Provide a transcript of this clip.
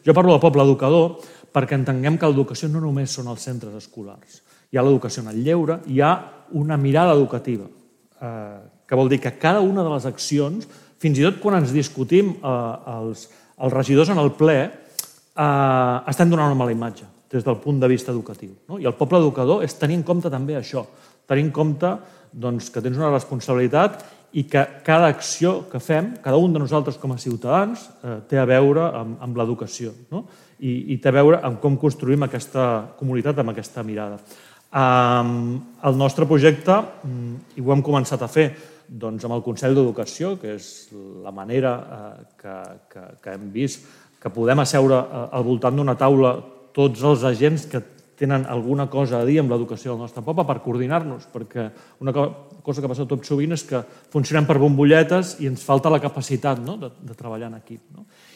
Jo parlo de poble educador perquè entenguem que l'educació no només són els centres escolars. Hi ha l'educació en el lleure, hi ha una mirada educativa, que vol dir que cada una de les accions, fins i tot quan ens discutim els regidors en el ple, estem donant una mala imatge des del punt de vista educatiu. I el poble educador és tenir en compte també això, tenir en compte que tens una responsabilitat i que cada acció que fem, cada un de nosaltres com a ciutadans, té a veure amb l'educació i té a veure amb com construïm aquesta comunitat amb aquesta mirada. El nostre projecte, i ho hem començat a fer amb el Consell d'Educació, que és la manera que hem vist que podem asseure al voltant d'una taula tots els agents que tenen alguna cosa a dir amb l'educació del nostre poble per coordinar-nos, perquè una cosa que passa tot sovint és que funcionem per bombolletes i ens falta la capacitat de treballar en equip.